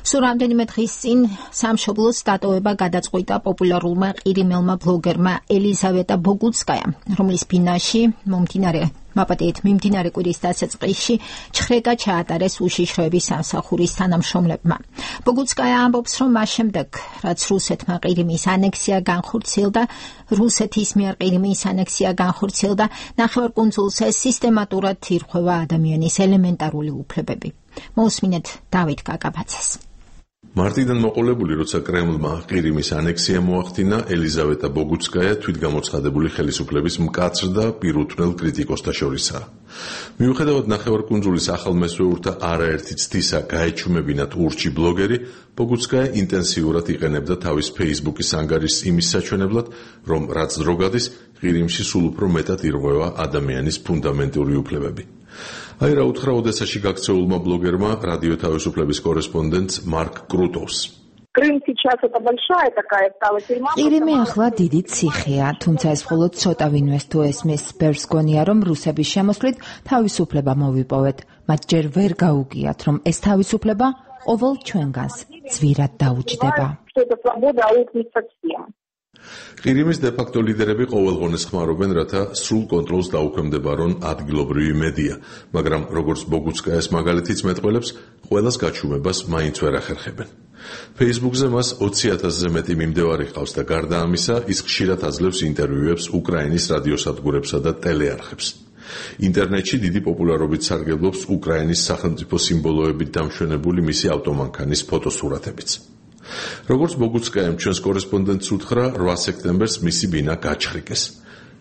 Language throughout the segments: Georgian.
სულ რამდენიმე დღის წინ სამშობლოს დატოვება გადაწყვიტა პოპულარულმა ყირიმელმა ბლოგერმა ელიზავეტა ბოგუცკაიამ, რომლის ბინაში მიმდინარე კვირის დასაწყისში ჩხრეკა ჩაატარეს უშიშროების სამსახურის თანამშრომლებმა. ბოგუცკაია ამბობს, რომ მას შემდეგ, რაც რუსეთის მიერ ყირიმის ანექსია განხორციელდა, ნახევარკუნძულზე სისტემატურად ირღვევა ადამიანის ელემენტარული უფლებები. მოусმინეთ დავით კაკაბაძეს. მარტიდან მოყოლებული, როცა კრემლმა ყირიმის ანექსია მოახდინა, ელიზავეტა ბოგუცკაია თვითგამოცხადებული ხელისუფლების მკაცრ და პირუთვნელ კრიტიკოსთა შორისაა. მიუხედავად ნახევარკუნძულის ახალ მესვეურთა არაერთი ცდისა გაეჩუმებინათ ურჩი ბლოგერი, ბოგუცკაია ინტენსიურად იყენებდა თავის Facebook-ის ანგარიშს იმის საჩვენებლად, რომ რაც დრო გადის, ყირიმში სულ უფრო მეტად ირღვევა ადამიანის ფუნდამენტური უფლებები. აი რა უთხრა ოდესაში გაქცეულმა ბლოგერმა რადიო თავისუფლების კორესპონდენტს მარკ კრუტოვს. ყირიმი ახლა დიდი ციხეა, თუმცა ეს მხოლოდ ცოტა ვინმეს თუ ესმის. ბევრს გონია, რომ რუსების შემოსვლით თავისუფლება მოვიპოვეთ, მათ ჯერ ვერ გაუგიათ, რომ ეს თავისუფლება ყოველ ჩვენგანს ძვირად დაუჯდება. ყირიმის დე-ფაქტო ლიდერები ყოველღონეს ხმარობენ, რათა სრულ კონტროლს დაუქვემდებარონ ადგილობრივი მედია, მაგრამ როგორც ბოგუცკაიას მაგალითიც მეტყველებს, ყველას გაჩუმებას მაინც ვერ ახერხებენ. Facebook-ზე მას 20,000-ზე მეტი მიმდევარი ყავს და გარდა ამისა, ის ხშირად აძლევს ინტერვიუებს უკრაინის რადიოსადგურებსა და ტელეარხებს. ინტერნეტში დიდი პოპულარობით სარგებლობს უკრაინის სახელმწიფო სიმბოლოებით დამშვენებული მისი ავტომანქანის ფოტოსურათებიც. როგორც ბოგუცკაიამ ჩვენს კორესპონდენტს უთხრა, 8 სექტემბერს მისი ბინა გაჩხრიკეს.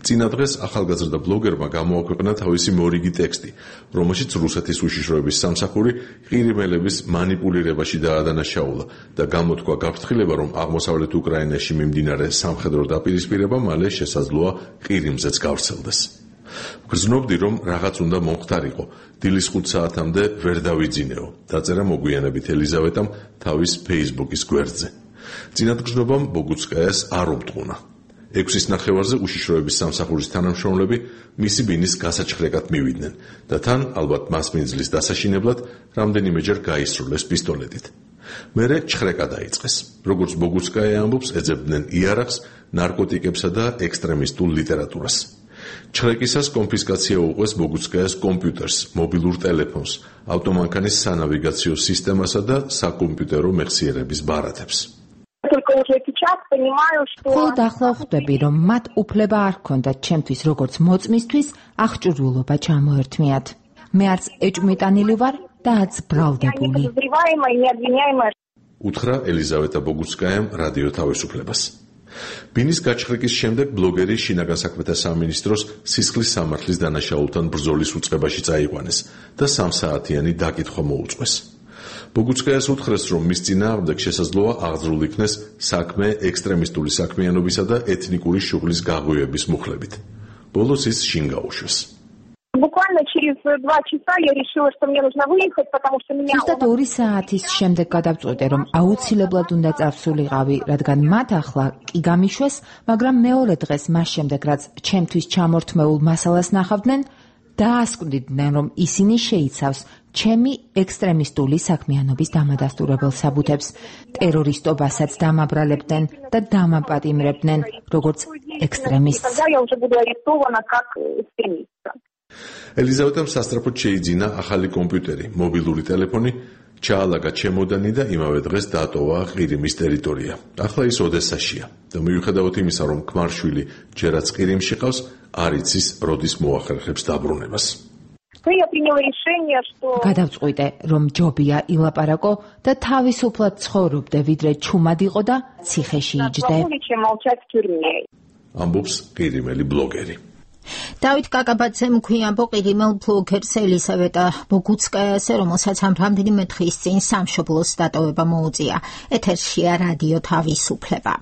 წინა დღეს ახალგაზრდა ბლოგერმა გამოაქვეყნა თავისი მორიგი ტექსტი, რომელშიც რუსეთის უშიშროების სამსახური ყირიმელების მანიპულირებაში დაადანაშაულა და გამოთქვა გაფრთხილება, რომ აღმოსავლეთ უკრაინაში მიმდინარე სამხედრო დაპირისპირება მალე შესაძლოა ყირიმზეც გავრცელდეს. გრძნობდი, რომ რაღაც უნდა მომხდარიყო, დილის 5 საათამდე ვერ დავიძინეო, დაწერა მოგვიანებით ელიზავეტამ თავის Facebook-ის გვერდზე. წინადგრძნობამ ბოგუცკაიას არ უბტყუნა. 6-ის ნახევარზე უშიშროების სამსახურის თანამშრომლები მისი ბინის გასაჩხრეკად მივიდნენ და თან, ალბათ მასმინძლის დასაშინებლად, რამდენიმეჯერ გაისრულეს პისტოლეტით. მერე ჩხრეკა დაიწყეს. როგორც ბოგუცკაია ამბობს, ეძებდნენ იარაღს, ნარკოტიკებსა და ექსტრემისტულ ლიტერატურას. ჩხრეკისას კონფისკაცია უყვეს ბოგუცკაიას კომპიუტერს, მობილურ ტელეფონს, ავტომანქანის სანავიგაციო სისტემასა და საკომპიუტერო მეხსიერების ბარათებს. მხოლოდ ახლა ხვდები, რომ მათ უფლება არ ჰქონდათ ჩემთვის როგორც მოწმისთვის აღჭურვილობა ჩამოერთმიათ. მე არც ეჭვმიტანილი ვარ და არც ბრალდებული. უთხრა ელიზავეტა ბოგუცკაიამ რადიო თავისუფლებას. ბინის გაჩხრიკის შემდეგ ბლოგერი შინაგან საქმეთა სამინისტროს სისხლის სამართლის დანაშაულთან ბრძოლის უწყებაში წაიყვანეს და 3 საათიანი დაკითხვა მოუწყვეს. ბოგუცკაიას უთხრეს, რომ მის წინააღმდეგ შესაძლოა აღძრულ იქნეს საქმე ექსტრემისტული საქმიანობისა და ეთნიკური შუღლის გაღვივების მუხლებით. ბოლოს ის შინ გაუშვეს. ზუსტად 2 საათის შემდეგ გადავწყვიტე, რომ აუცილებლად უნდა წავსულიყავი, რადგან მათ ახლა კი გამიშვეს, მაგრამ მეორე დღეს მას შემდეგ, რაც ჩემთვის ჩამორთმეულ მასალას ნახავდნენ, დაასკვდიდნენ, რომ ისინი შეიცავს ჩემი ექსტრემისტული საქმიანობის დამადასტურებელ საბუთებს, ტერორისტობასაც დამაბრალებდნენ და დამაპატიმრებდნენ, როგორც ექსტრემისტს. ელიზავეტამ სასწრაფოდ შეიძინა ახალი კომპიუტერი, მობილური ტელეფონი, ჩაალაგა ჩემოდანი და იმავე დღეს დატოვა ყირიმის ტერიტორია. ახლა ის ოდესაშია და მიუხედავად იმისა, რომ ქმარშვილი ჯერაც ყირიმში ყავს, არ იცის, როდის მოახერხებს დაბრუნებას. გადავწყვიტე, რომ ჯობია ილაპარაკო და თავისუფლად ცხოვრობდე, ვიდრე ჩუმად იყო და ციხეში იჯდე. ამბობს ყირიმელი ბლოგერი. დავით კაკაბაძემ ქვიამბო ყირიმელ ბლოგერს ელიზავეტა ბოგუცკაიასზე, რომელსაც ამ რამდენიმე დღის წინ სამშობლოს დატოვება მოუწია. ეთერშია რადიო თავისუფლება.